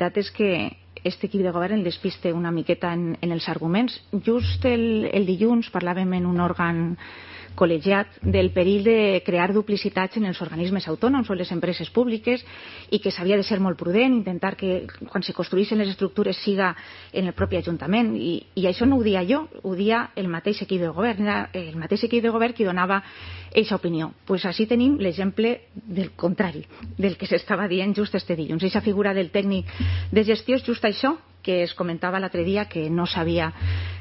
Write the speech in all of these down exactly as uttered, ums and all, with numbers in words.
veritat és que este equip de govern el despiste una miqueta en, en els arguments. Just el, el dilluns parlàvem en un òrgan col·legiat del perill de crear duplicitats en els organismes autònoms o en les empreses públiques i que s'havia de ser molt prudent, intentar que quan se construïssin les estructures siga en el propi Ajuntament. I, i això no ho dia jo, ho dia el mateix equip de govern. Era el mateix equip de govern qui donava aquesta opinió. Pues així tenim l'exemple del contrari, del que s'estava dient just este dilluns. Aquesta figura del tècnic de gestió és just això que es comentava l'altre dia que no s'havia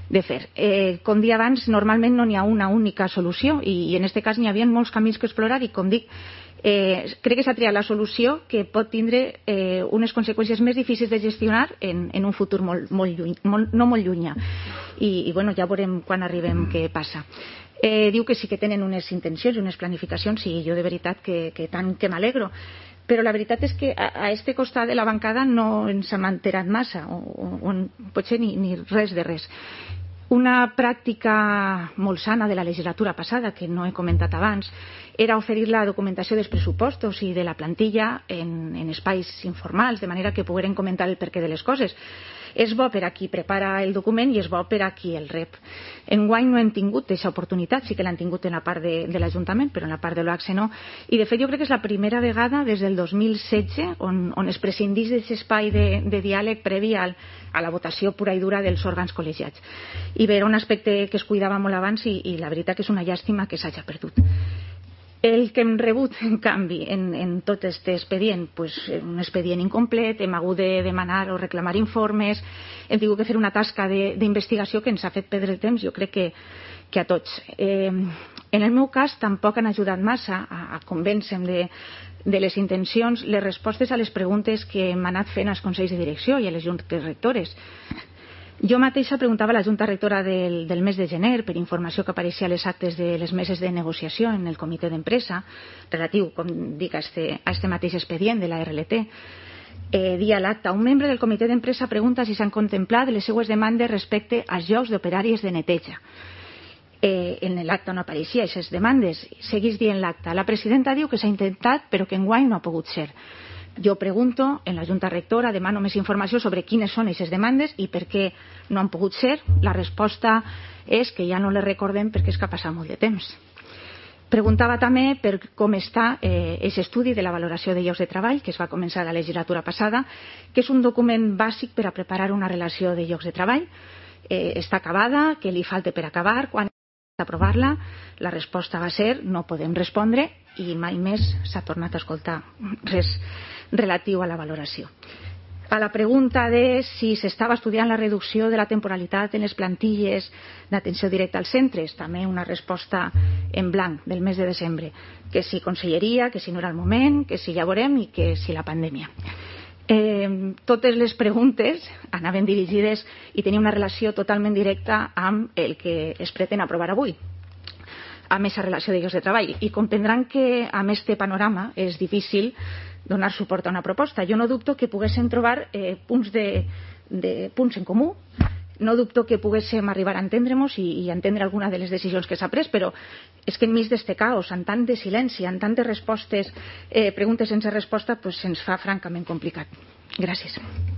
de fer. Eh, com dia abans, normalment no n'hi ha una única solució i, i en aquest cas n'hi havia molts camins que explorar i, com dic, eh, crec que s'ha triat la solució que pot tindre eh, unes conseqüències més difícils de gestionar en, en un futur molt, molt lluny, molt, no molt llunyà. I, i bueno, ja veurem quan arribem què passa. Eh, diu que sí que tenen unes intencions i unes planificacions i jo de veritat que, que tant que m'alegro. Però la veritat és que a, a este costat de la bancada no ens hem enterat massa, o, o, o potser ni, ni res de res. Una pràctica molt sana de la legislatura passada, que no he comentat abans, era oferir la documentació dels pressupostos i de la plantilla en, en espais informals, de manera que pogueren comentar el perquè de les coses. És bo per a qui prepara el document i és bo per a qui el rep. Enguany no hem tingut aquesta oportunitat, sí que l'han tingut en la part de, de l'Ajuntament, però en la part de l'O A C S E no. I de fet jo crec que és la primera vegada des del dos mil setze on, on es prescindís d'aquest espai de, de diàleg previ al, a la votació pura i dura dels òrgans col·legiats. I bé, era un aspecte que es cuidava molt abans i, i la veritat que és una llàstima que s'hagi perdut. El que hem rebut, en canvi, en, en tot aquest expedient, pues, un expedient incomplet, hem hagut de demanar o reclamar informes, hem tingut que fer una tasca d'investigació que ens ha fet perdre el temps, jo crec que, que a tots. Eh, en el meu cas, tampoc han ajudat massa a, a convèncer-me de, de les intencions, les respostes a les preguntes que hem anat fent als consells de direcció i a les juntes rectores. Jo mateixa preguntava a la Junta Rectora del, del mes de gener per informació que apareixia a les actes de les meses de negociació en el comitè d'empresa, relatiu, com dic, a este, a este mateix expedient de la R L T. Eh, dia l'acte, un membre del comitè d'empresa pregunta si s'han contemplat les seues demandes respecte als llocs d'operàries de neteja. Eh, en l'acte no apareixia aquestes demandes. Seguís dient l'acte. La presidenta diu que s'ha intentat però que enguany no ha pogut ser. Jo pregunto en la Junta Rectora, demano més informació sobre quines són aquestes demandes i per què no han pogut ser. La resposta és que ja no les recordem perquè és que ha passat molt de temps. Preguntava també per com està aquest eh, estudi de la valoració de llocs de treball que es va començar la legislatura passada, que és un document bàsic per a preparar una relació de llocs de treball. Eh, està acabada, que li falta per acabar, quan aprovar-la, la resposta va ser no podem respondre i mai més s'ha tornat a escoltar res relatiu a la valoració. A la pregunta de si s'estava estudiant la reducció de la temporalitat en les plantilles d'atenció directa als centres, també una resposta en blanc del mes de desembre, que si conselleria, que si no era el moment, que si ja veurem i que si la pandèmia. Eh, totes les preguntes anaven dirigides i tenien una relació totalment directa amb el que es pretén aprovar avui, amb aquesta relació de llocs de treball. I comprendran que amb este panorama és difícil donar suport a una proposta. Jo no dubto que poguéssim trobar eh, punts, de, de, punts en comú, no dubto que poguéssim arribar a entendre-nos i, i entendre alguna de les decisions que s'ha pres, però és que enmig d'este caos, amb tant de silenci, amb tantes respostes, eh, preguntes sense resposta, pues se'ns fa francament complicat. Gràcies.